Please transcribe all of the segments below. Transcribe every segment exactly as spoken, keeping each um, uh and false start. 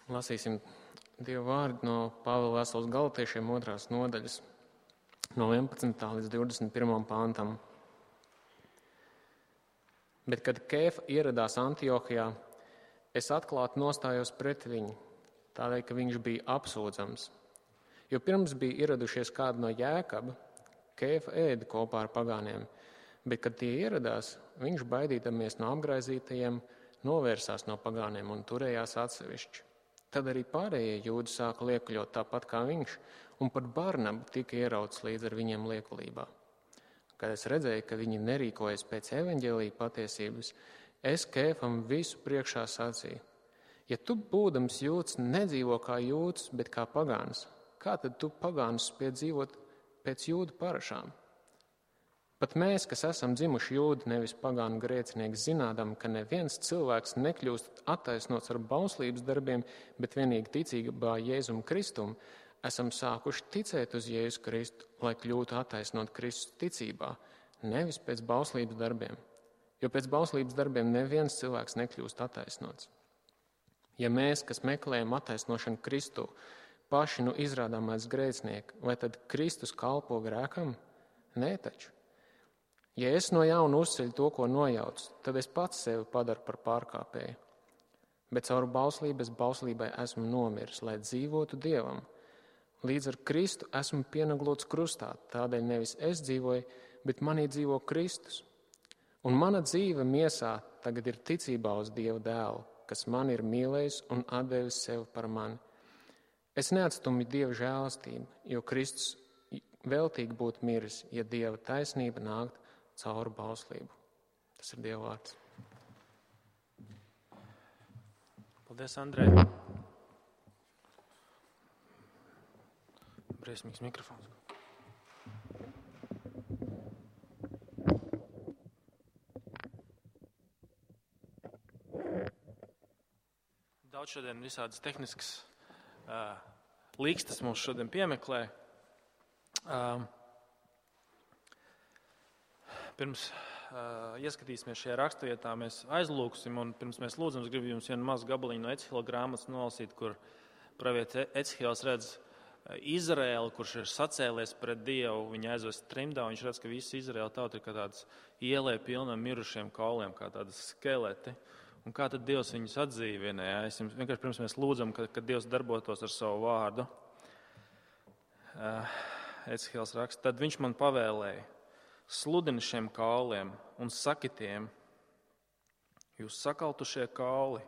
Lasīsim Dievu vārdu no Pāvila vēstules Galatiešiem otrās nodaļas, no vienpadsmitā līdz divdesmit pirmajam pāntam. Bet, kad Kēfa ieradās Antiohijā, es atklāti nostājos pret viņu, tādēļ, ka viņš bija apsūdzams. Jo pirms bija ieradušies kādi no Jēkaba, Kēfa ēda kopā ar pagāniem, bet, kad tie ieradās, viņš, baidīdamies no apgraizītajiem, novērsās no pagāniem un turējās atsevišķi. Tad arī pārējie jūdi sāka liekuļot tāpat kā viņš, un pat Barnabu tika ierauts līdz ar viņiem liekulībā. Kad es redzēju, ka viņi nerīkojas pēc evaņģēlija patiesības, es Kēfam visu priekšā sacīju: ja tu, būdams jūds, nedzīvo kā jūds, bet kā pagāns, kā tad tu pagānus spied dzīvot pēc jūdu parašām? Pat mēs, kas esam dzimuši jūdi, nevis pagānu grēcinieki, zinādam, ka neviens cilvēks nekļūst attaisnots ar bauslības darbiem, bet vienīgi ticībā Jēzum Kristum, esam sākuši ticēt uz Jēzu Kristu, lai kļūtu attaisnot Kristus ticībā, nevis pēc bauslības darbiem. Jo pēc bauslības darbiem neviens cilvēks nekļūst attaisnots. Ja mēs, kas meklējam attaisnošanu Kristu, paši nu izrādāmais grēcinieki, vai tad Kristus kalpo grēkam? Nē taču. Ja es no jauna uzceļu to, ko nojaucu, tad es pats sevi padaru par pārkāpēju. Bet caur bauslību es bauslībai esmu nomiris, lai dzīvotu Dievam. Līdz ar Kristu esmu pienaglots krustā, tādēļ nevis es dzīvoju, bet manī dzīvo Kristus. Un mana dzīve miesā tagad ir ticībā uz Dieva dēlu, kas man ir mīlējis un atdevis sevi par mani. Es neatstumju Dieva žēlastību, jo Kristus veltīgi būtu miris, ja Dieva taisnība nākt caur bauslību. Tas ir Dieva vārds. Paldies, Andrej. Briesmīgs mikrofons. Daudz šodien visādas tehniskas uh, līkstas mums šodien piemeklē. Uh, Pirms uh, ieskatīsimies šajā rakstvietā, mēs aizlūksim, un pirms mēs lūdzam, es gribu jums vienu mazu gabaliņu no Ecihila grāmatas nolasīt, kur pravietis Ecihils redz Izraēlu, kurš ir sacēlies pret Dievu, viņa aizvest trimdā, un viņš redz, ka visa Izraēla tauta ir kā tāds ielē pilna mirušiem kauliem, kā tādas skeleti. Un kā tad Dievs viņus atdzīvina? Ja? Es jums vienkārši pirms mēs lūdzam, ka, ka Dievs darbotos ar savu vārdu. Uh, Ecihils raksta, tad viņš man pavēlēja: sludini šiem kauliem un saki tiem: jūs sakaltušie kauli,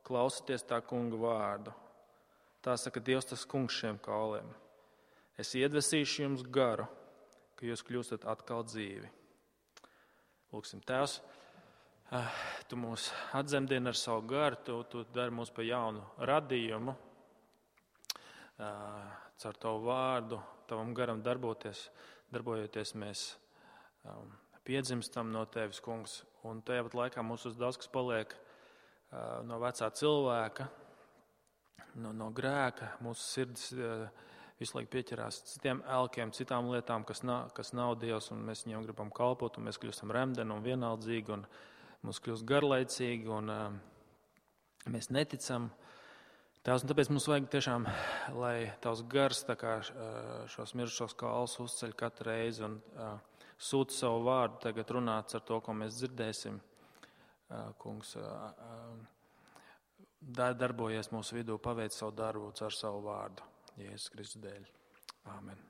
klausieties tā kunga vārdu. Tā saka Dievs, tas kungs šiem kauliem: es iedvesīšu jums garu, ka jūs kļūstat atkal dzīvi. Lūksim, Tēvs, tu mūs atzemdini ar savu garu, tu, tu dari mūs pa jaunu radījumu. Caur tavu vārdu, tavam garam darboties, darbojoties mēs Um, piedzimstam no tevis, kungs, un tajā pat laikā mums uz daudz kas paliek uh, no vecā cilvēka, no, no grēka, mūsu sirds uh, visu laiku pieķerās citiem elkiem, citām lietām, kas nav, kas nav Dievs, un mēs viņiem gribam kalpot, un mēs kļūstam remdeni un vienaldzīgi, un mums kļūst garlaicīgi, un uh, mēs neticam. Tās, un tāpēc mums vajag tiešām, lai tavs gars tā kā uh, šos mirušos kaulus uzceļ katru reizi, un uh, sūta savu vārdu tagad runāts ar to, ko mēs dzirdēsim. Kungs, darbojies mūsu vidū, paveic savu darbu ar savu vārdu. Jēzus Kristus dēļ. Āmen.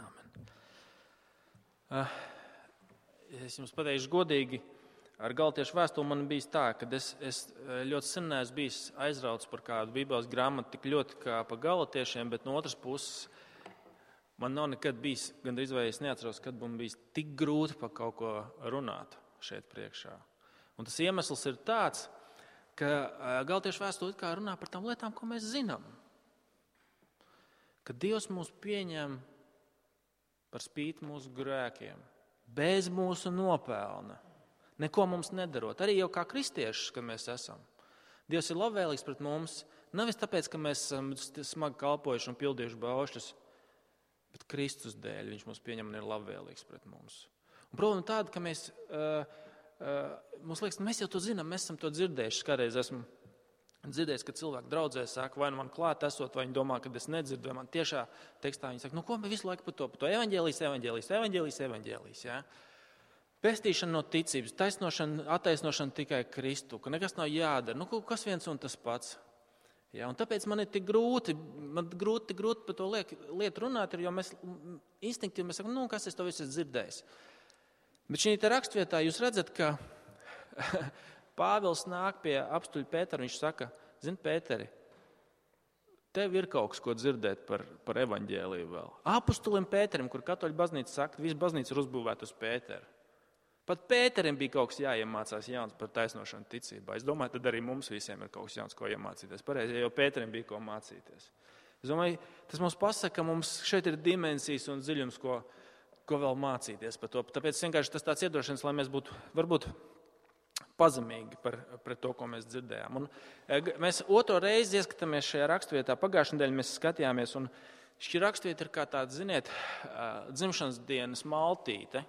Āmen. Es jums pateikšu godīgi, ar Galatiešu vēstuli man bijis tā, ka es, es ļoti sen neesmu bijis aizrauts par kādu Bībeles grāmatu tik ļoti kā pa Galatiešiem, bet no otras puses man nav nekad bijis, gandrīz vai es neatceros, kad man bijis tik grūti par kaut ko runāt šeit priekšā. Un tas iemesls ir tāds, ka Galatiešu vēstule kā runā par tām lietām, ko mēs zinām. Ka Dievs mūs pieņem par spīti mūsu grēkiem, bez mūsu nopelna, neko mums nedarot. Arī jau kā kristiešus, kad mēs esam. Dievs ir labvēlīgs pret mums, nevis tāpēc, ka mēs esam smagi kalpojuši un pildījuši baušļus, bet Kristus dēļ viņš mūs pieņem un ir labvēlīgs pret mums. Un problēma tāda, ka mēs, uh, uh, mums liekas, mēs jau to zinām, mēs esam to dzirdējuši. Kādreiz esmu dzirdējis, ka cilvēki draudzē saka, vai nu man klāt esot, vai viņi domā, ka es nedzirdu, vai man tiešā tekstā viņi saka, nu ko mēs visu laiku par to, par to evaņģēlijs, evaņģēlijs, evaņģēlijs, evaņģēlijs, jā. Pestīšana no ticības, taisnošana, attaisnošana tikai Kristu, ka nekas nav jādara, nu kas viens un tas pats. Jā, un tāpēc man ir tik grūti, man grūti, grūti par to lietu runāt, jo mēs instinktīvi mēs sakam, nu kas es to visu esmu dzirdējis. Bet šī te rakstvietā jūs redzat, ka Pāvils nāk pie apstuļa Pētera, viņš saka, zini, Pēteri, tev ir kaut kas, ko dzirdēt par, par evaņģēliju vēl. Apustulim Pēterim, kur katoļu baznīca saka, visa baznīca ir uzbūvēta uz Pēteru. Pat Pēterim bija kaut kas jāiemācās jauns par taisnošanu ticībā. Es domāju, tad arī mums visiem ir kaut kas jauns, ko iemācīties. Pareizi, jo Pēterim bija ko mācīties. Es domāju, tas mums pasaka, ka mums šeit ir dimensijas un dziļums, ko, ko vēl mācīties par to. Tāpēc vienkārši tas tāds iedošanas, lai mēs būtu varbūt pazemīgi par, par to, ko mēs dzirdējām. Un mēs otro reizi ieskatāmies šajā rakstvietā. Pagājušajā nedēļā mēs skatījāmies, un šī rakstvieta ir kā tāda, ziniet, dzimšanas dienas maltīte,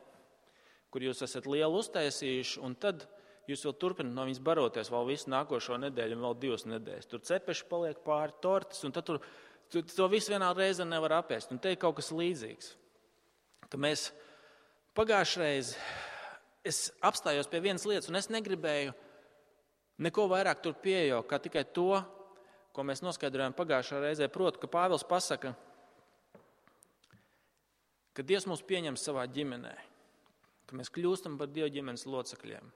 kur jūs esat lielu uztaisījuši, un tad jūs vēl turpināt no viņas baroties vēl visu nākošo nedēļu un vēl divas nedēļas. Tur cepeši paliek pāri tortes, un tad tur, tu, to visu vienā reizē nevar apēst. Un te ir kaut kas līdzīgs. Tad mēs pagājušajā reizē es apstājos pie vienas lietas, un es negribēju neko vairāk tur pieejaukt, kā tikai to, ko mēs noskaidrojām pagājušā reizē. Proti, ka Pāvils pasaka, ka Dievs mūs pieņem savā ģimenē, ka mēs kļūstam par Dieva ģimenes locekļiem,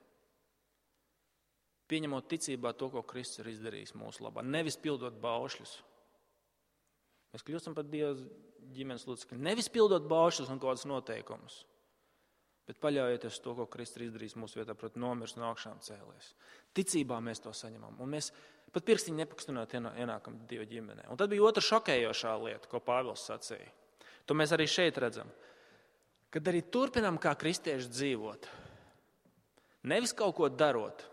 pieņemot ticībā to, ko Kristus ir izdarījis mūsu labā, nevis pildot baušļus. Mēs kļūstam par Dieva ģimenes locekļiem, nevis pildot baušļus un kaut kādus noteikumus, bet paļaujoties to, ko Kristus ir izdarījis mūsu vietā, proti nomirs no augšām cēlies. Ticībā mēs to saņemam, un mēs pat pirkstiņu nepakustinot ienākam Dieva ģimenē. Un tad bija otra šokējošā lieta, ko Pāvils sacīja. To mēs arī šeit redzam. Kad arī turpinām kā kristieši dzīvot, nevis kaut ko darot.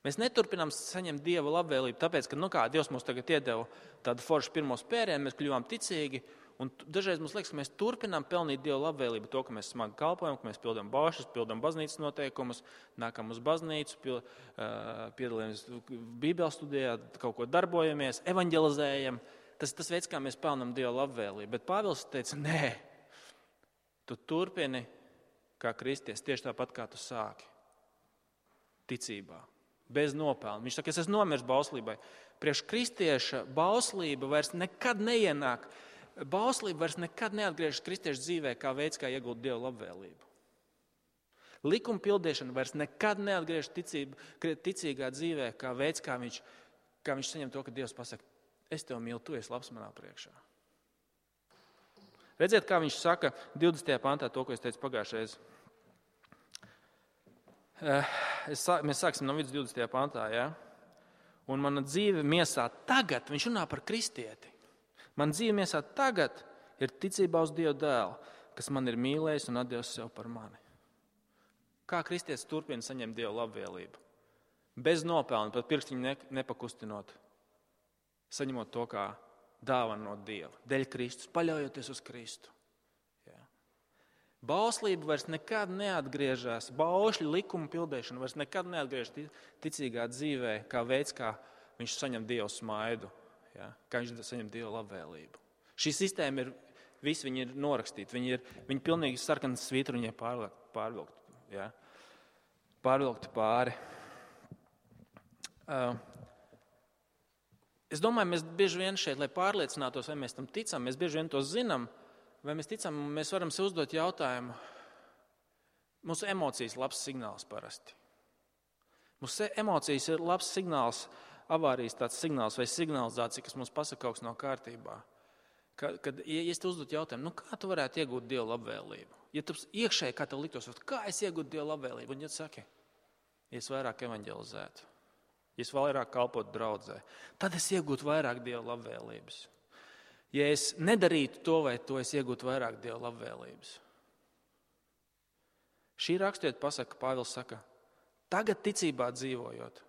Mēs neturpinām saņemt Dieva labvēlību, tāpēc, ka, nu kā, Dievs mums tagad iedeva tādu foršu pirmo spērienu, mēs kļuvām ticīgi, un dažreiz mums liekas, ka mēs turpinām pelnīt Dieva labvēlību, to, ka mēs smagi kalpojam, ka mēs pildām baušļus, pildām baznīcas noteikumus, nākam uz baznīcu, pil, piedalāmies Bībeles studijā, kaut ko darbojamies, evaņģelizējam. Tas ir tas veids, kā mēs pelnām Dieva labvēlību. Bet Pāvils teica, nē, tu turpini kā kristietis tieši tāpat, kā tu sāki. Ticībā, bez nopelna. Viņš saka, es esmu nomiris bauslībai. Priekš kristieša bauslība vairs nekad neienāk. Bauslība vairs nekad neatgriežas kristieša dzīvē kā veids, kā iegūt Dieva labvēlību. Likuma pildīšana vairs nekad neatgriežas ticība, ticīgā dzīvē kā veids, kā viņš, kā viņš saņem to, ka Dievs pasaka, es tev mīlu, tu esi labs manā priekšā. Redziet, kā viņš saka divdesmitajā pantā to, ko es teicu pagājušajā. Es, mēs sāksim no vidus divdesmitajā pantā, ja? Un mana dzīve miesā tagad, viņš runā par kristieti. Man dzīve miesā tagad ir ticībā uz Dieva dēlu, kas man ir mīlējis un atdevis sev par mani. Kā kristietis turpina saņemt Dieva labvēlību? Bez nopelna, pat pirkstiņu ne, nepakustinot, saņemot to kā dāvanu no Dieva, dēļ Kristus, paļaujoties uz Kristu. Jā. Bauslība vairs nekad neatgriežas, baušļu likuma pildēšana vairs nekad neatgriežas ticīgā dzīvē, kā veids, kā viņš saņem Dieva smaidu. Ja, kā viņš saņem Dieva labvēlību. Šī sistēma ir, visi viņi ir norakstīti, viņi ir viņi pilnīgi sarkanas svītruņie pārvilkt, pārvilkt, ja, pārvilkti pāri. Uh, es domāju, mēs bieži vien šeit, lai pārliecinātos, vai mēs tam ticam, mēs bieži vien to zinām, vai mēs ticam, mēs varam sev uzdot jautājumu. Mūsu emocijas ir labs signāls parasti. Mūsu emocijas ir labs signāls, avārijas tāds signāls vai signalizācija, kas mums pasaka kaut kas nav kārtībā. Kad, kad ja es te uzdot jautājumu, nu kā tu varētu iegūt Dieva labvēlību? Ja tu iekšēji, kā tev liktos, kā es iegūtu Dieva labvēlību? Un ja tu saki, ja es vairāk evaņģelizētu, ja es vairāk kalpotu draudzē, tad es iegūtu vairāk Dieva labvēlības. Ja es nedarītu to vai to, es iegūtu vairāk Dieva labvēlības. Šī rakstiet pasaka, Pāvils saka, tagad ticībā dzīvojot,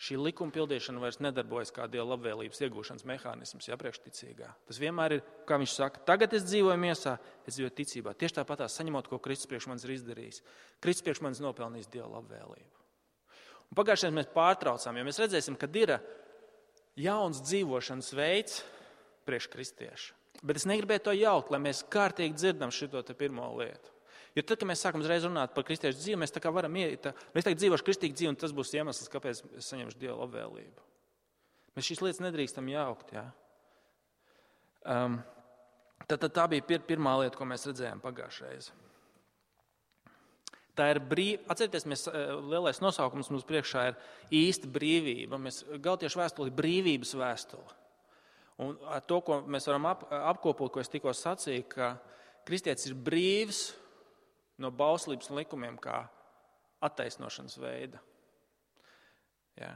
šī likuma pildīšana vairs nedarbojas kā Dieva labvēlības iegūšanas mehānisms, ja, priekšticīgā. Tas vienmēr ir, kā viņš saka, tagad es dzīvoju miesā, es dzīvoju ticībā. Tieši tāpatās saņemot, ko Kristus priekš manis ir izdarījis. Kristus priekš manis nopelnījis Dieva labvēlību. Un pagājušajā mēs pārtraucām, jo mēs redzēsim, ka ir jauns dzīvošanas veids priekš kristiešu. Bet es negribēju to jaukt, lai mēs kārtīgi dzirdam šito te pirmo lietu. Jo tad, kad mēs sākam uzreiz runāt par kristiešu dzīvi, mēs tā kā varam iet, mēs tagad dzīvošu kristīgu dzīvi, un tas būs iemesls, kāpēc es saņemšu Dieva labvēlību. Mēs šīs lietas nedrīkstam jaukt, jā. Um, tad, tad tā bija pir, pirmā lieta, ko mēs redzējām pagājušreiz. Tā ir brīv... Atcerieties, mēs, lielais nosaukums mums priekšā ir īsta brīvība. Mēs Galtiešu vēstuli ir brīvības vēstuli. Un ar to, ko mēs varam ap, apkopot, ko es tikko sacīju, ka kristietis ir brīvs no bauslības un likumiem kā attaisnošanas veida. Jā.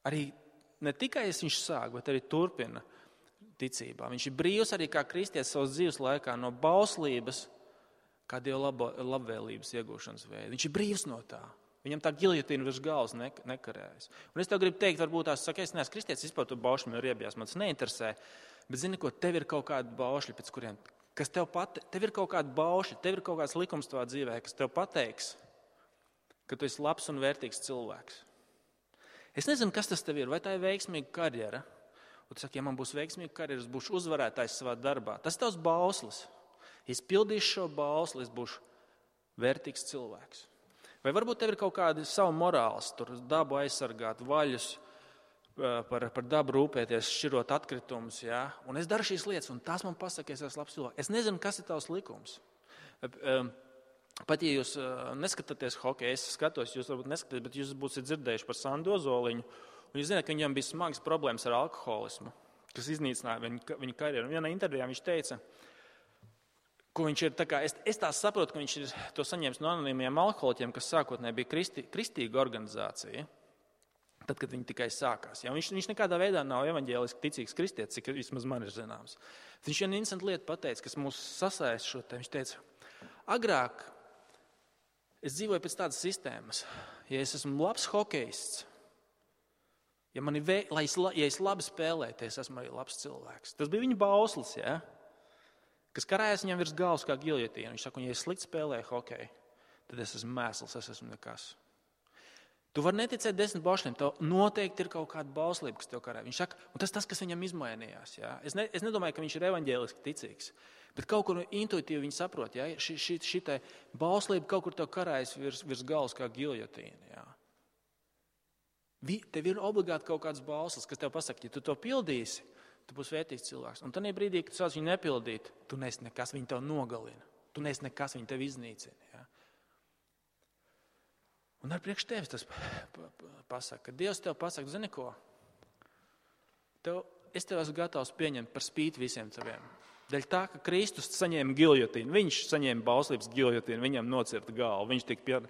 Arī ne tikai viņš sāk, bet arī turpina ticībā. Viņš ir brīvs arī kā kristietis savas dzīves laikā no bauslības, kā Dieva labo, labvēlības iegūšanas veida. Viņš ir brīvs no tā. Viņam tā giljotīna virs galvas ne, nekarējas. Un es tev gribu teikt, varbūt tās saka, es neesmu kristietis, vispār tu baušļi man riebjās, man tas neinteresē, bet zini, ko tev ir kaut kādi baušļi, pēc kuriem, kas tev pat, tev ir kaut kādi baušļi, tev ir kaut kāds likums tavā dzīvē, kas tev pateiks, ka tu esi labs un vērtīgs cilvēks. Es nezinu, kas tas tev ir, vai tā ir veiksmīga karjera. Un tu saki, ja man būs veiksmīga karjera, es būšu uzvarētājs savā darbā. Tas ir tavs bauslis. Ja es pildīšu šo bausli, es būšu vērtīgs cilvēks. Vai varbūt tev ir kaut kādi savu morāls, tur dabu aizsargāt, vaļus, par, par dabu rūpēties, šķirot atkritumus, jā? Un es daru šīs lietas, un tās man pasaka, es esmu labs cilvēks. Es nezinu, kas ir tavs likums. Pat ja jūs neskatāties hokeju, es skatos, jūs varbūt neskatāties, bet jūs būsiet dzirdējuši par Sandu Ozoliņu, un jūs zināt, ka viņam bija smagas problēmas ar alkoholismu, kas iznīcināja viņu, viņu karjeru. Un vienā intervijā viņš teica, ko viņš ir, tā kā, es, es tā saprotu, ka viņš ir to saņēmis no anonīmiem alkoholiķiem, kas sākotnēji bija kristi, kristīga organizācija, tad, kad viņi tikai sākās. Ja? Viņš, viņš nekādā veidā nav evaņģēliski ticīgs kristietis, cik vismaz man ir zināms. Viņš vienu interesantu lietu pateica, kas mūs sasaist šo te. Viņš teica, agrāk es dzīvoju pēc tādas sistēmas, ja es esmu labs hokejists, ja, man ir vē, lai es, ja es labi spēlēju, tad es esmu arī labs cilvēks. Tas bija viņa bauslis, ja? Kas karājas viņam virs galvas kā giljotīna. Viņš saka, ja es slikti spēlēju hokeju, tad es esmu mēsls, es esmu nekas. Tu vari neticēt desmit baušļiem, tev noteikti ir kaut kāda bauslība, kas tev karāja. Viņš saka, un tas tas, kas viņam izmainījās. Ja? Es, ne, es nedomāju, ka viņš ir evaņģēliski ticīgs, bet kaut kur intuitīvi viņi saprot, ja? Ši, ši, šitai bauslība kaut kur tev karājas virs, virs galvas kā giljotīna. Ja? Tev ir obligāti kaut kāds bauslis, kas tev pasaka, ja tu to pildīsi, tu būsi vērtīgs cilvēks. Un tajā brīdī, kad tu sāc viņu nepildīt, tu neesi nekas, viņi tev nogalina. Tu neesi nekas, viņi tev iznīcina. Ja? Un ar priekš tevis tas pasaka, ka Dievs tev pasaka, zini ko? Tev, es tev esmu gatavs pieņemt par spīti visiem taviem. Dēļ tā, ka Kristus saņēma giljotīnu, viņš saņēma bauslības giljotīnu, viņam nocirta galvu, viņš, pie,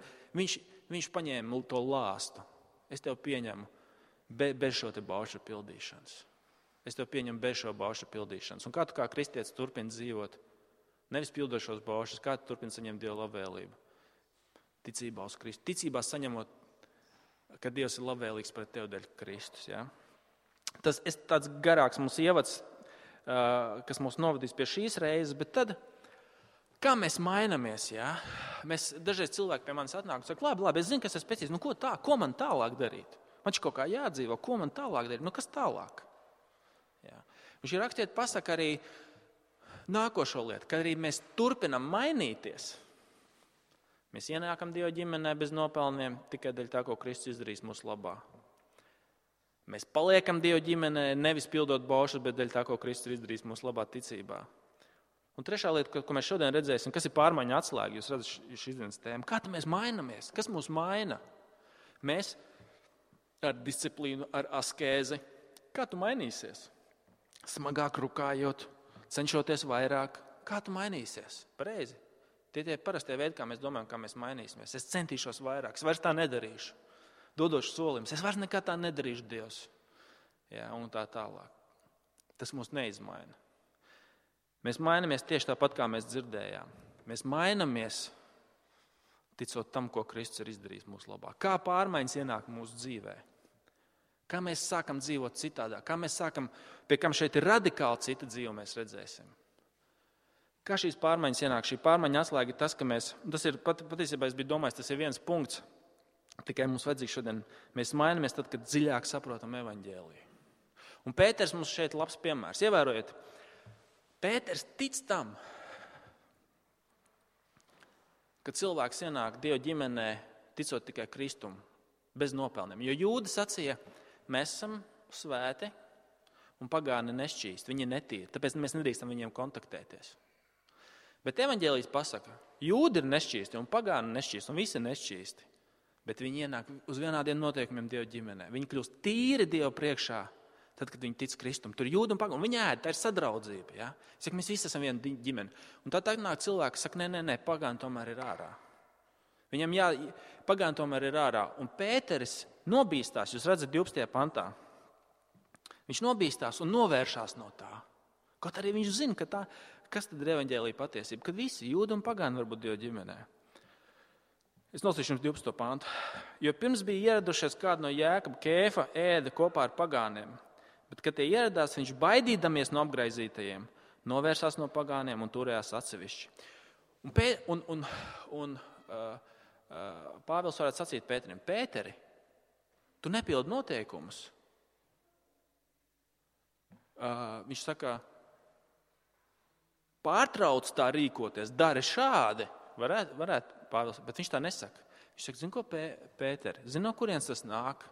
viņš, viņš paņēma to lāstu. Es tev pieņemu be, bez šo te baušu pildīšanas. Es tev pieņemu bez šo baušu pildīšanas. Un kā tu kā kristietis turpini dzīvot, nevis pildot šos baušus, kā tu turpini saņemt Dieva labvēlību? Ticībā uz Kristu. Ticībā saņemot, ka Dievs ir labvēlīgs pret tevi dēļ Kristus. Ja? Tas ir tāds garāks mums ievads, kas mūs novadīs pie šīs reizes, bet tad, kā mēs mainamies? Ja? Mēs dažreiz cilvēki pie manis atnāk un saka, labi, labi, es zinu, kas es pēc nu ko tā, ko man tālāk darīt? Man šķiet kaut kā jādzīvo, ko man tālāk darīt? Nu, kas tālāk? Jā. Un šī rakstiet pasaka arī nākošo lietu, ka arī mēs turpinam mainīties. Mēs ienākam Dieva ģimenē bez nopelniem tikai dēļ tā, ko Kristus izdarīs mūsu labā. Mēs paliekam Dieva ģimenē nevis pildot baušas, bet dēļ tā, ko Kristus izdarīs mūsu labā ticībā. Un trešā lieta, ko mēs šodien redzēsim, kas ir pārmaiņa atslēga, jūs redzat šīs dienas tēmu. Kā mēs mainamies? Kas mūs maina? Mēs ar disciplīnu, ar askēzi. Kā tu mainīsies? Smagāk rukājot, cenšoties vairāk. Kā tu mainīsies? Pareizi. Tie tie parastie veidi, kā mēs domājam, kā mēs mainīsimies. Es centīšos vairāk, es vairs tā nedarīšu. Dodošu solimus, es vairs nekā tā nedarīšu, Dievs. Jā, un tā tālāk. Tas mūs neizmaina. Mēs mainamies tieši tāpat, kā mēs dzirdējām. Mēs mainamies, ticot tam, ko Kristus ir izdarījis mūsu labā. Kā pārmaiņas ienāk mūsu dzīvē? Kā mēs sākam dzīvot citādā? Kā mēs sākam, pie kam šeit ir radikāli cita dzīve, mēs redzēsim. Kā šīs pārmaiņas ienāk? Šī pārmaiņa atslēga ir tas, ka mēs, tas ir pat, patiesībā es biju domājis, tas ir viens punkts, Tikai mums vajadzīgs šodien, mēs mainamies tad, kad dziļāk saprotam evaņģēliju. Un Pēters mums šeit labs piemērs. Ievērojiet, Pēters tic tam, ka cilvēks ienāk Dieva ģimenē, ticot tikai Kristumu, bez nopelniem. Jo jūdi sacīja, mēs esam svēti un pagāni nešķīsti, viņi ir netīri, tāpēc mēs nedrīkstam viņiem kontaktēties. Bet evaņģēlijs pasaka, jūdi ir nešķīsti un pagāni nešķīsti un visi ir nešķīsti, bet viņi ienāk uz vienādiem noteikumiem Dieva ģimenē. Viņi kļūst tīri Dieva priekšā, tad, kad viņi tic Kristum. Tur jūdi un pagāni, un viņi ēd, tā ir sadraudzība. Ja? Saka, mēs visi esam viena ģimene. Un tad nāk cilvēki, saka, nē, nē, nē, pagāni tomēr ir ārā. Viņam jā, pagāni tomēr ir ārā. Un Pēteris nobīstās, jūs redzat divpadsmitajā pantā. Viņš nobīstās un novēršās no tā. Kaut arī viņš zina, ka tā, kas tad ir evaņģēlija patiesība, kad visi jūdi un pagāni var būt Dieva ģimenē. Es nolasīšu jums divpadsmito pantu. Jo pirms bija ieradušies kādu no Jēkaba, Kēfa ēda kopā ar pagāniem, bet, kad tie ieradās, viņš baidīdamies no apgraizītajiem, novērsās no pagāniem un turējās atsevišķi. Un, pē, un, un, un uh, uh, Pāvils varētu sacīt Pēterim, Pēteri, tu nepildi noteikumus. Uh, viņš saka, pārtrauc tā rīkoties, dari šādi, varētu, varētu Pāvils, bet viņš tā nesaka. Viņš saka, zini ko, Pēteri, zini, no kurienes tas nāk?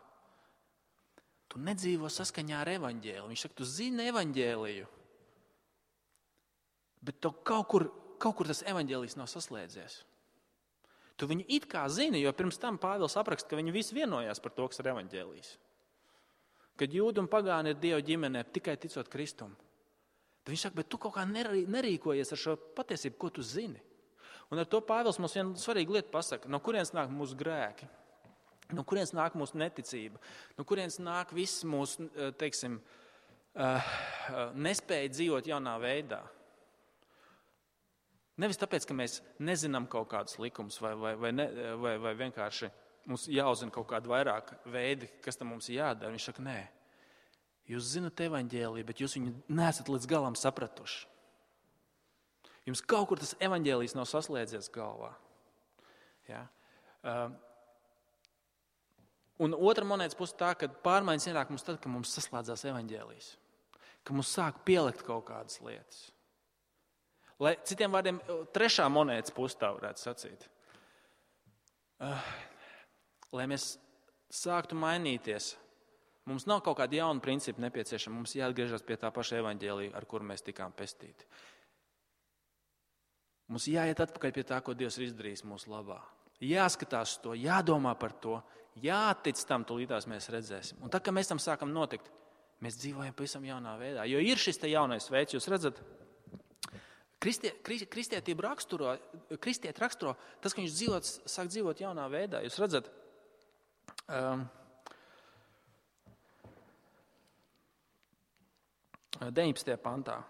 Tu nedzīvo saskaņā ar evaņģēliju. Viņš saka, tu zini evaņģēliju, bet tev kaut kur, kaut kur tas evaņģēlijs nav saslēdzies. Tu viņu it kā zini, jo pirms tam Pāvils apraksta, ka viņi visi vienojās par to, kas ir evaņģēlijs. Kad jūdi un pagāni ir Dieva ģimenē, tikai ticot Kristum. Tad viņš saka, bet tu kaut kā nerīkojies ar šo patiesību, ko tu zini. Un ar to Pāvils mums vienu svarīgu lietu pasaka, no kurienes nāk mūsu grēki, no kurienes nāk mūsu neticība, no kurienes nāk viss mūsu, teiksim, nespēja dzīvot jaunā veidā. Nevis tāpēc, ka mēs nezinām kaut kādus likumus vai, vai, vai, ne, vai, vai vienkārši mums jāuzzina kaut kādi vairāk veidi, kas tam mums jādara. Viņš saka, nē, jūs zinat evaņģēliju, bet jūs viņu neesat līdz galam sapratuši. Jums kaut kur tas evaņģēlijs nav saslēdzies galvā. Ja? Uh, un otra monētas puse tā, ka pārmaiņas ienāk mums tad, kad mums saslēdzās evaņģēlijs. Ka mums sāk pielikt kaut kādas lietas. Lai, citiem vārdiem, trešā monētas puse tā varētu sacīt. Uh, lai mēs sāktu mainīties, mums nav kaut kāda jauna principa nepieciešama. Mums jāatgriežas pie tā paša evaņģēlija, ar kuru mēs tikām pestīti. Mums jāiet atpakaļ pie tā, ko Dievs ir izdarījis mūsu labā. Jāskatās to, jādomā par to, jātic tam, tūlītās mēs redzēsim. Un tā, ka mēs tam sākam notikt, mēs dzīvojam pavisam jaunā veidā. Jo ir šis te jaunais veids, jūs redzat, kristie, kristietību raksturo, kristieti raksturo tas, ka viņš dzīvot, sāk dzīvot jaunā veidā. Jūs redzat, um, deviņpadsmitajā pantā.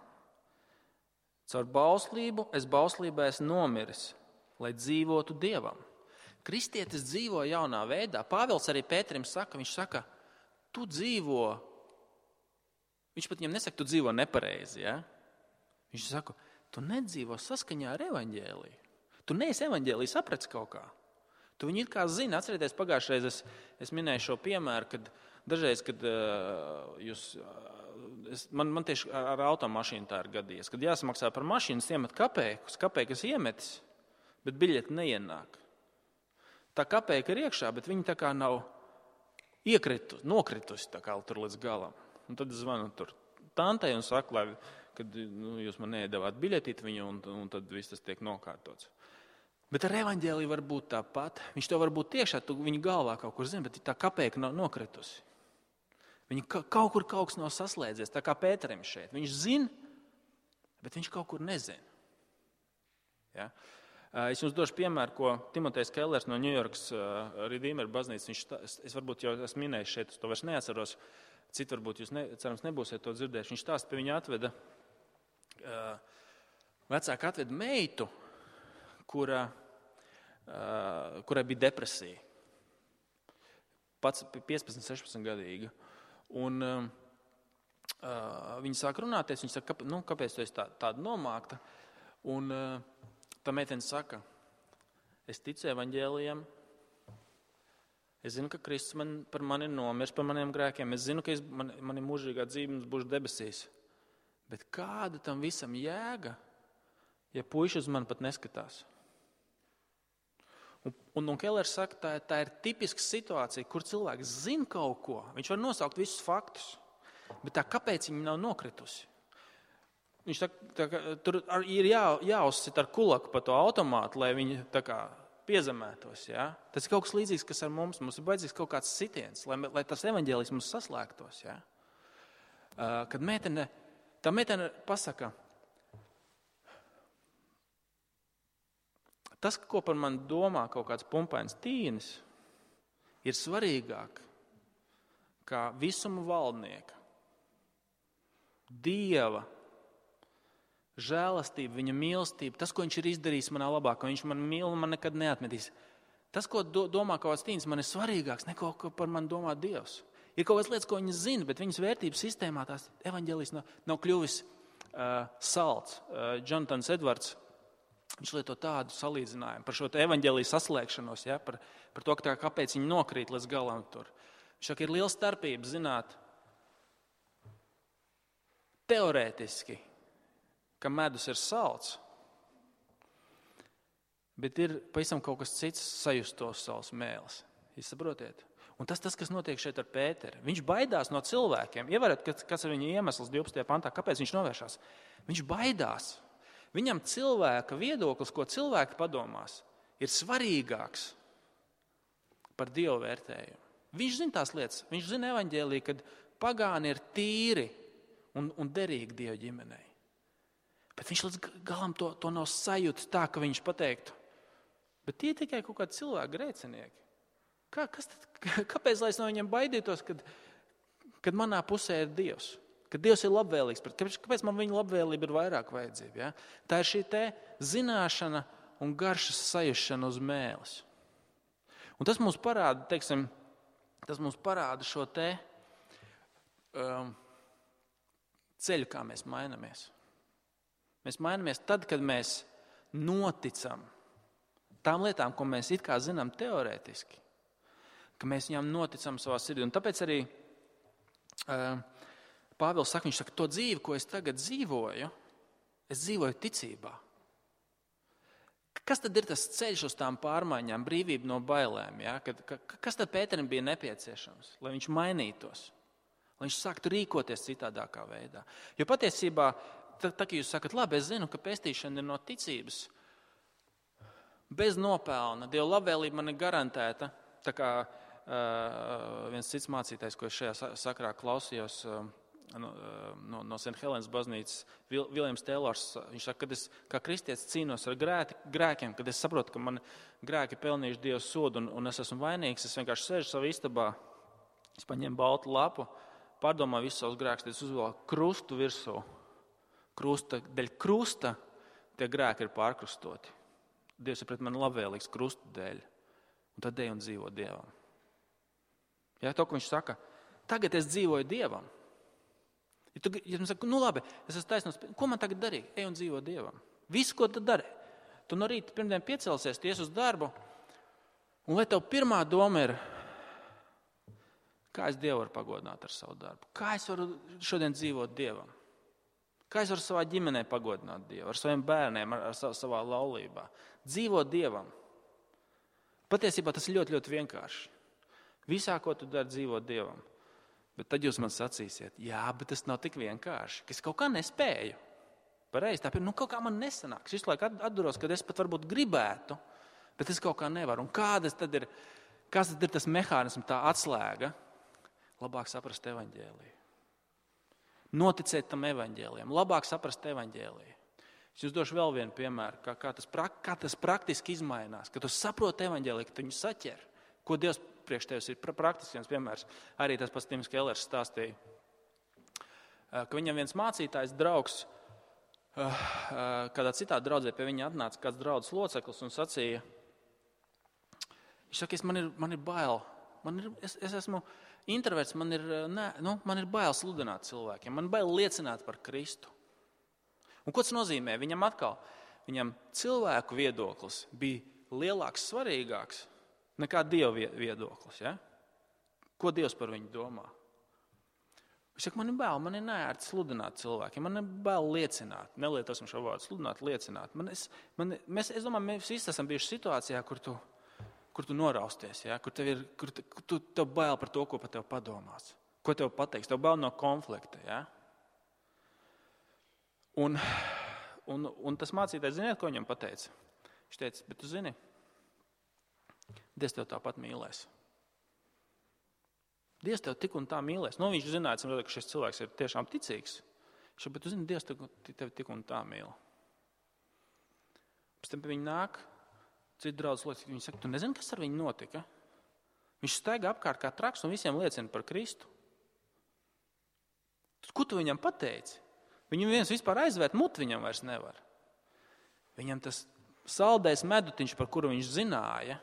Caur bauslību es bauslībā esmu nomiris, lai dzīvotu Dievam. Kristietis dzīvo jaunā veidā. Pāvils arī Pēterim saka, viņš saka, tu dzīvo, viņš pat viņam nesaka, tu dzīvo nepareizi, ja? Viņš saka, tu nedzīvo saskaņā ar evaņģēliju. Tu neesi evaņģēliju saprats kaut kā. Tu viņu it kā zini, atcerieties, pagājušreiz es, es minēju šo piemēru, kad dažreiz, kad uh, jūs... Uh, Es, man, man tieši ar automašīnu tā ir gadījies. Kad jāsamaksā par mašīnu, es iemet kapeikus, kapeikas iemetis, bet biļeti neienāk. Tā kapeika ir iekšā, bet viņa tā kā nav iekritu, nokritusi tā kā tur līdz galam. Un tad es zvanu tur tantei un saku, lai, kad nu, jūs man neiedavāt biļetīt viņu, un, un tad viss tas tiek nokārtots. Bet ar evaņģēliju var būt tāpat. Viņš to var būt tiešā, tu viņa galvā kaut kur zini, bet tā kapeika nav nokritusi. Viņa kaut kur kaut kas nav saslēdzies, tā kā Pēterim šeit. Viņš zina, bet viņš kaut kur nezina. Ja? Es jums došu piemēru, ko Timotejs Kellers no Ņujorkas Redeemer baznīcas, viņš, es varbūt jau esmu minējis šeit, es to vairs neatceros, citi varbūt jūs ne, cerams nebūsiet to dzirdējuši. Viņš stāsta, pie viņa atveda, vecāka atveda meitu, kura, kurai bija depresija. Pats piecpadsmit, sešpadsmit gadīga. Un uh, viņi sāk runāties, viņi saka, nu, kāpēc tu esi tā, tāda nomākta? Un uh, tā meitene saka, es ticu evaņģēlijam, Es zinu, ka Kristus man, par mani ir nomiris, par maniem grēkiem. Es zinu, ka es, man, man ir mūžīgā dzīve, būšu debesīs. Bet kāda tam visam jēga, ja puiši uz mani pat neskatās? Un, un, un Kellers saka, tā, tā ir tipiska situācija, kur cilvēks zina kaut ko. Viņš var nosaukt visus faktus, bet tā kāpēc viņa nav nokritusi? Viņš tā, tā, tur ir jā, jāuzsit ar kulaku pa to automātu, lai viņi tā kā piezemētos. Ja? Tas ir kaut kas līdzīgs, kas ar mums. Mums ir vajadzīgs kaut kāds sitiens, lai, lai tas evaņģēlijs mums saslēgtos. Ja? Uh, kad meitene, tā meitene pasaka, tas, ko par mani domā kaut kāds pumpains tīnis, ir svarīgāk kā visuma valdnieka, Dieva žēlastība, viņa mīlestība, tas, ko viņš ir izdarījis manā labā, ka viņš man mīl un man nekad neatmetīs. Tas, ko do, domā kaut kāds tīns, man ir svarīgāks nekā ko par mani domā Dievs. Ir kaut kādas lietas, ko viņi zina, bet viņas vērtības sistēmā tās evaņģēlijs nav, nav kļuvis uh, salds. Uh, Jonatans Edvards, viņš lieto tādu salīdzinājumu par šo evaņģēliju saslēgšanos, ja, par, par to, ka tā, kāpēc viņi nokrīt līdz galam tur. Viņš saka, ir liela starpība zināt teorētiski, ka medus ir salds, bet ir pavisam kaut kas cits sajust tos savus mēles. Jūs saprotiet? Un tas, tas, kas notiek šeit ar Pēteri. Viņš baidās no cilvēkiem. Ievērat, kas ir viņa iemesls divpadsmitajā pantā, kāpēc viņš novēršās? Viņš baidās. Viņam cilvēka viedoklis, ko cilvēki padomās, ir svarīgāks par Dievu vērtējumu. Viņš zina tās lietas. Viņš zina evaņģēliju, kad pagāni ir tīri un, un derīgi Dieva ģimenei. Bet viņš līdz galam to, to nav sajūtis tā, ka viņš pateiktu, bet tie tikai kaut kādi cilvēki grēcinieki. Kā, kas tad, kāpēc lai es no viņiem baidītos, kad, kad manā pusē ir Dievs? Kad Dievs ir labvēlīgs, kāpēc man viņa labvēlība ir vairāk vajadzība? Ja? Tā ir šī te zināšana un garšas sajušana uz mēles. Un tas mums parāda, teiksim, tas mums parāda šo te um, ceļu, kā mēs mainamies. Mēs mainamies tad, kad mēs noticam tām lietām, ko mēs it kā zinām teorētiski, ka mēs viņām noticam savā sirdī. Un tāpēc arī uh, Pāvils saka, viņš saka, to dzīvi, ko es tagad dzīvoju, es dzīvoju ticībā. Kas tad ir tas ceļš uz tām pārmaiņām, brīvība no bailēm? Ja? Kad, ka, kas tad Pēterim bija nepieciešams, lai viņš mainītos, lai viņš sāktu rīkoties citādākā veidā? Jo patiesībā Tā, tā kā jūs sakat, labi, es zinu, ka pestīšana ir no ticības, bez nopelna, Dieva labvēlība man ir garantēta. Tā kā uh, viens cits mācītājs, ko es šajā sakrā klausījos uh, no, no, no Saint Helēnas baznīcas, Vil, Viljams Teilors, viņš saka, kad es kā kristietis cīnos ar grēti, grēkiem, kad es saprotu, ka man grēki pelnījuši Dieva sodu un, un es esmu vainīgs, es vienkārši sēžu savā istabā, es paņēmu baltu lapu, pārdomāju visus savus grēkus, tad es uzvēlu krustu virsū. Krusta, dēļ krusta tie grēki ir pārkrustoti. Dievs ir pret mani labvēlīgs krusta dēļ. Un tad ej un dzīvo Dievam. Jā, to, ko viņš saka, tagad es dzīvoju Dievam. Ja tu ja saka, nu labi, es esmu taisnos, ko man tagad darīt? Ej un dzīvo Dievam. Visu, ko tu dari. Tu no rīta pirmdien piecelsies, tu ies uz darbu, un lai tev pirmā doma ir, kā es Dievu varu pagodināt ar savu darbu? Kā es varu šodien dzīvot Dievam? Kā es varu savā ģimenē pagodināt Dievu, ar saviem bērniem, ar, ar savā laulībā? Dzīvot Dievam. Patiesībā tas ir ļoti, ļoti vienkārši. Visā, ko tu dari, dzīvot Dievam. Bet tad jūs man sacīsiet, jā, bet tas nav tik vienkārši, ka es kaut kā nespēju. Pareizi, tāpēc, nu kaut kā man nesanāks. Visu laiku atduros, kad es pat varbūt gribētu, bet es kaut kā nevaru. Un kādas tad ir, kāds tad ir tas mehānisms, tā atslēga? Labāk saprast evaņģēliju. Noticēt tam evaņģēlijam, labāk saprast evaņģēliju. Es jūs došu vēl vienu piemēru, kā, kā, tas, kā tas praktiski izmainās, kad tu saproti evaņģēliju, ka tu viņu saķer, ko Dievs priekš tevis ir praktisks piemērs. Arī tas pats Tims Kellers stāstīja, ka viņam viens mācītājs draugs, kādā citā draudzē pie viņa atnāca kāds draudzes loceklis un sacīja, viņš saka, man ir, man ir bail, man ir, es, es esmu introverts, man ir, ne, nu, man ir bail sludināt cilvēkiem, man ir bail liecināt par Kristu. Un ko tas nozīmē? Viņam atkal, viņam cilvēku viedoklis bija lielāks, svarīgāks Nekā Dieva viedoklis. Ja? Ko Dievs par viņu domā? Viņš saka, man ir bail, man ir neērti sludināt cilvēkiem, man ir bail liecināt. Nelietosim šo vārdu, sludināt, liecināt. Man es, man, mēs, es domāju, mēs visi esam bijuši situācijā, kur tu, kur tu norausties, ja? Kur tev ir kur tu, tu, tev bail par to, ko par tev padomās. Ko tev pateiks? Tev bail no konflikta. Ja? Un, un, un tas mācītājs, ziniet, ko viņam pateica? Viņš teica, bet tu zini, Dievs tev tāpat mīlēs. Dievs tev tik un tā mīlēs. Nu, viņš zināja, ka šis cilvēks ir tiešām ticīgs. Viņš bet tu zini, Dievs tev, tev tik un tā mīl. Pēc tam pie viņa nāk, citi draudz lietas, viņi saka, tu nezini, kas ar viņu notika? Viņš staigā apkārt kā traks un visiem liecina par Kristu. Ko tu viņam pateici? Viņam viens vispār aizvērt muti viņam vairs nevar. Viņam tas saldais medutiņš, par kuru viņš zināja,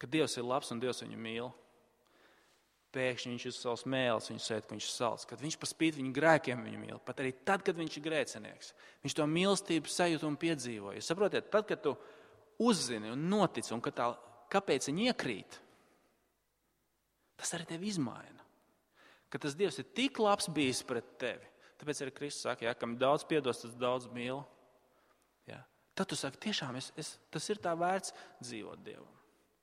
ka Dievs ir labs un Dievs viņu mīl. Pēkšņi viņš uz savas mēles, viņš sēd, ka viņš salds, kad viņš par spīti viņu grēkiem viņu mīl, pat arī tad, kad viņš ir grēcinieks. Viņš to mīlestību sajūt un piedzīvoja. Saprotiet, tad, kad tu uzzini un notici, un ka tā, kāpēc viņi iekrīt, tas arī tevi izmaina. Ka tas Dievs ir tik labs bijis pret tevi. Tāpēc arī Kristus saka, ja, kam daudz piedos, tas daudz mīl. Ja. Tad tu saki, tiešām, es, es, tas ir tā vērts dzīvot Dievam.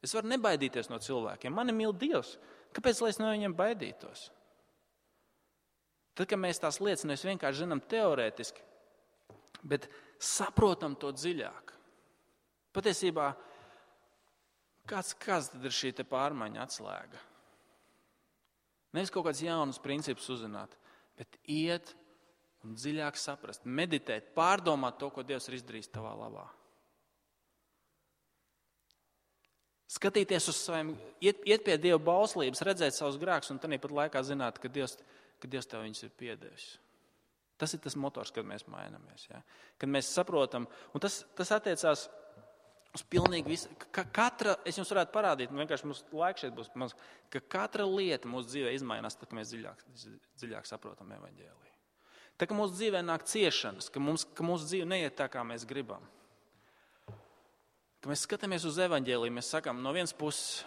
Es varu nebaidīties no cilvēkiem. Mani mīl Dievs. Kāpēc, lai es no viņiem baidītos? Tad, kad mēs tās lietas mēs vienkārši zinām teorētiski, bet saprotam to dziļāk. Patiesībā, kāds, kāds tad ir šī te pārmaiņa atslēga? Nevis kaut kāds jaunus principus uzzināt, bet iet un dziļāk saprast, meditēt, pārdomāt to, ko Dievs ir izdarījis tavā labā. Skatīties uz saviem, iet, iet pie Dieva bauslības, redzēt savus grēkus un tāpat laikā zināt, ka Dievs, ka Dievs tev viņus ir piedevis. Tas ir tas motors, kad mēs mainamies. Ja? Kad mēs saprotam, un tas, tas attiecās uz pilnīgi visu, ka katra, es jums varētu parādīt, vienkārši mums laiks šeit būs, mums, ka katra lieta mūsu dzīvē izmainās, tad, ka mēs dziļāk, dziļāk saprotam evaņģēliju. Tā, ka mūsu dzīvē nāk ciešanas, ka, mums, ka mūsu dzīve neiet tā, kā mēs gribam. Kad mēs skatāmies uz evaņģēliju, mēs sakām, no vienas puses,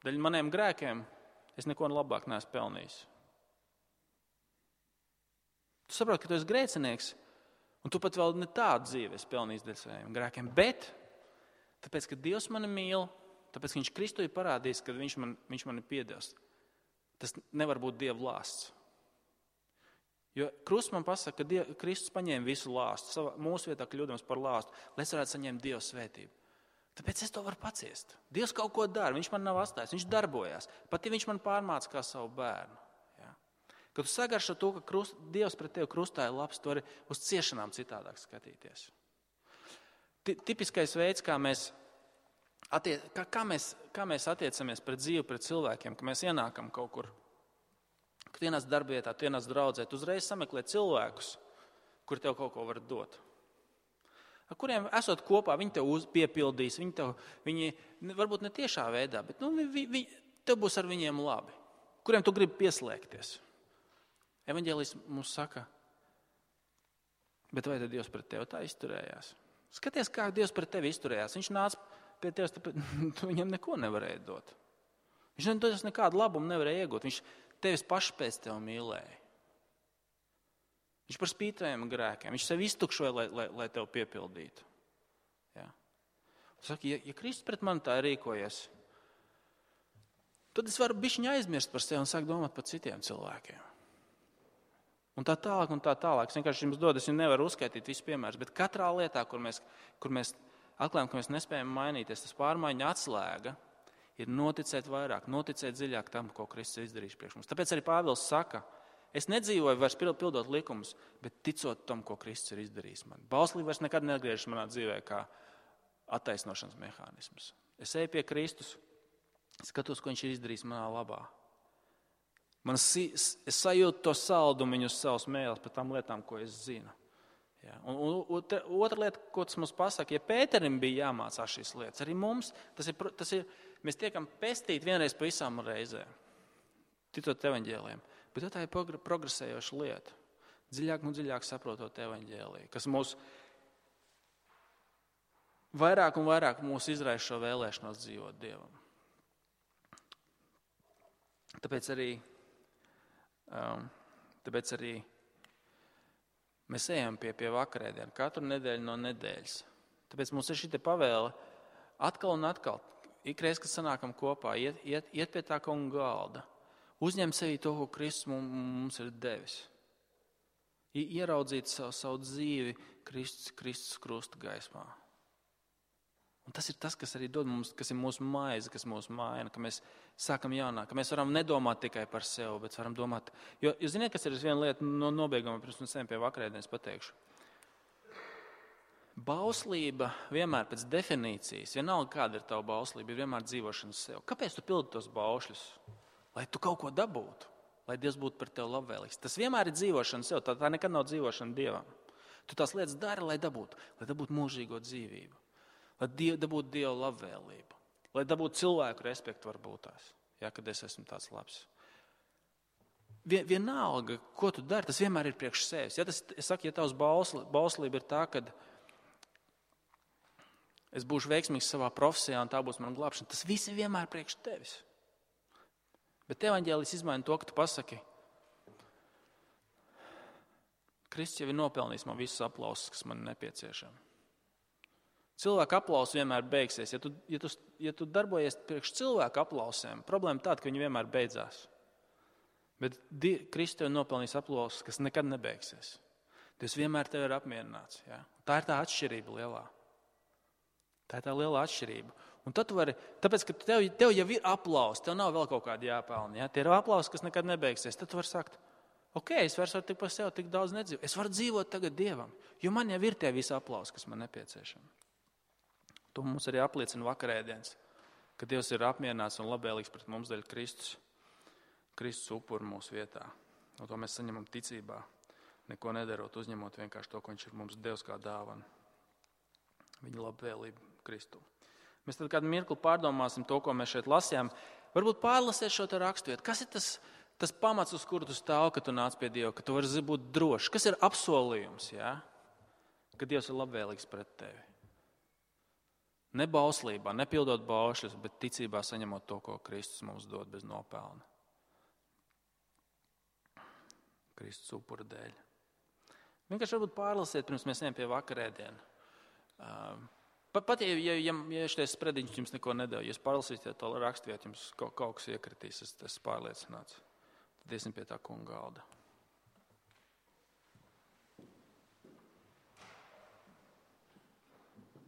daļa maniem grēkiem, es neko labāk neesmu pelnījis. Tu saproti, ka tu esi grēcinieks, un tu pat vēl ne tādu dzīvi esi pelnījis dēļ saviem grēkiem, bet tāpēc, ka Dievs mani mīl, tāpēc, ka viņš Kristu ir parādījis, ka viņš man, viņš man ir piedevis, tas nevar būt Dieva lāsts. Jo krusts man pasaka, ka Diev, Kristus paņēma visu lāstu, savā, mūsu vietā kļūdams par lāstu, lai es varētu saņemt Dieva svētību. Tāpēc es to varu paciest. Dievs kaut ko dara, viņš man nav atstājis, viņš darbojās. Pat ja viņš man pārmāca kā savu bērnu. Ja? Kad tu sagaršo to, ka krust, Dievs pret tevi krustā ir labs, tu vari uz ciešanām citādāk skatīties. T- tipiskais veids, kā mēs, attie, kā, kā, mēs, kā mēs attiecamies pret dzīvi, pret cilvēkiem, ka mēs ienākam kaut kur, kad ienāc darbvietā, tu ienāc draudzē, tu uzreiz sameklē cilvēkus, kuri tev kaut ko var dot. Ar kuriem esot kopā, viņi tev piepildīs, viņi tev, viņi, varbūt ne tiešā veidā, bet nu, vi, vi, tev būs ar viņiem labi. Kuriem tu gribi pieslēgties. Evaņģēlijs mums saka, bet vai tad Dievs pret tevi tā izturējās? Skaties, kā Dievs pret tevi izturējās. Viņš nāca pie tevis, tu viņam neko nevarēja dot. Viņš nedos nekādu labumu nevarēja iegūt. Viņš tevis paši pēc tev mīlēja. Viņš par spītējiem grēkiem. Viņš sevi iztukšoja, lai, lai, lai tev piepildītu. Ja. Saka, ja, ja Kristus pret mani tā rīkojies, tad es varu bišķiņ aizmirst par sevi un sākt domāt par citiem cilvēkiem. Un tā tālāk un tā tālāk. Es vienkārši jums dodu, es jums nevaru uzskaitīt visu piemērus, bet katrā lietā, kur mēs, kur mēs atklājam, ka mēs nespējam mainīties, tas pārmaiņa atslēga ir noticēt vairāk, noticēt dziļāk tam, ko Kristus ir izdarījis priekš mums. Tāpēc arī Pāvils saka, es nedzīvoju vairs pildot likumus, bet ticot tam, ko Kristus ir izdarījis man. Bauslība vairs nekad neatgriežas manā dzīvē kā attaisnošanas mehānisms. Es eju pie Kristus, skatos, ko viņš ir izdarījis manā labā. Man, es sajūtu to saldumu uz savas mēles par tām lietām, ko es zinu. Ja. Un, un, un otra lieta, ko tas mums pasaka, ja Pēterim bija jāmācās šīs lietas, arī mums, tas ir, tas ir mēs tiekam pestīti vienreiz pa visām reizēm, ticot evaņģēlijiem, bet tā ir progresējoša lieta, dziļāk un dziļāk saprotot evaņģēliju, kas mūs vairāk un vairāk mūs izraisa šo vēlēšanos dzīvot Dievam. Tāpēc arī, um, tāpēc arī mēs ejam pie, pie vakarēdienu katru nedēļu no nedēļas. Tāpēc mums ir šī te pavēle atkal un atkal, ikreiz, kad sanākam kopā, iet, iet, iet pie tā kunga galda, uzņem sevī to, ko Kristus mums ir devis. Ieraudzīt savu, savu dzīvi Kristus, Kristus krusta gaismā. Un tas ir tas, kas arī dod mums, kas ir mūsu maize, kas mūsu maina, ka mēs sākam jaunā, ka mēs varam nedomāt tikai par sevi, bet varam domāt, jo, jūs ziniet, kas ir viena lieta no nobeiguma, pirms mēs ejam pie vakarēdienas pateikšu. Bauslība vienmēr pēc definīcijas, vienalga kāda ir tava bauslība, ir vienmēr dzīvošana sev. Kāpēc tu pildi tos baušļus? Lai tu kaut ko dabūtu, lai Dievs būtu par tevi labvēlīgs. Tas vienmēr ir dzīvošana sev, tā, tā nekad nav dzīvošana Dievam. Tu tās lietas dari, lai dabūtu, lai dabūtu mūžīgo dzīvību. Lai diev, dabūtu Dieva labvēlību, lai dabūtu cilvēku respektu varbūt tās, ja, kad es esmu tāds labs. Vien, vienalga, ko tu dari, tas vienmēr ir priekš sevis. Ja tas, es saku, ja tavs bausli, bauslība ir tā, kad es būšu veiksmīgs savā profesijā un tā būs mana glābšana, tas viss ir vienmēr priekš tevis. Bet evaņģēlis izmaina to, ka tu pasaki, Kristus jau ir nopelnījis man visus aplausus, kas man nepieciešami. Cilvēku aplausi vienmēr beigsies. Ja tu, ja tu, ja tu darbojies priekš cilvēku aplausiem, problēma tāda, ka viņi vienmēr beidzās. Bet Kristus tev nopelnīs aplausus, kas nekad nebeigsies. Dievs vienmēr tev ir apmierināts. Ja? Tā ir tā atšķirība lielā. Tā ir tā lielā atšķirība. Un tad tu vari, tāpēc, ka tev, tev jau ir aplausi, tev nav vēl kaut kādi jāpelna. Ja? Tie ir aplausi, kas nekad nebeigsies. Tad tu vari sakt, ok, es vairs varu tik par sevi tik daudz nedzīvot. Es varu dzīvot tagad Dievam, jo man jau ir tie visi aplausi, kas man nepieciešami. To mums arī apliecina vakarēdienas, ka Dievs ir apmierināts un labvēlīgs pret mums dēļ Kristus, Kristus upuru mūsu vietā. Un to mēs saņemam ticībā, neko nedarot, uzņemot vienkārši to, ko viņš ir mums Dievs kā dāvana. Viņa labvēlība Kristu. Mēs tad kādu mirkli pārdomāsim to, ko mēs šeit lasījām. Varbūt pārlasiet šo te raksturvietu. Kas ir tas, tas pamats, uz kuru tu stāv, kad tu nāc pie Dieva, ka tu vari būt drošs? Kas ir apsolījums, ja? Ka Dievs ir labvēlīgs pret tevi? Ne bauslībā, nepildot baušļus, bet ticībā saņemot to, ko Kristus mums dod bez nopelna. Kristus upura dēļ. Vienkārši varbūt pārlasiet, pirms mēs ejam pie vakarēdiena. Pat, pat ja, ja, ja, ja šitais sprediņš jums neko nedēļ, jūs pārlasīsiet to raksturvietu, jums kaut, kaut kas iekritīs, es esmu pārliecināts. Tad iesim pie tā kunga galda.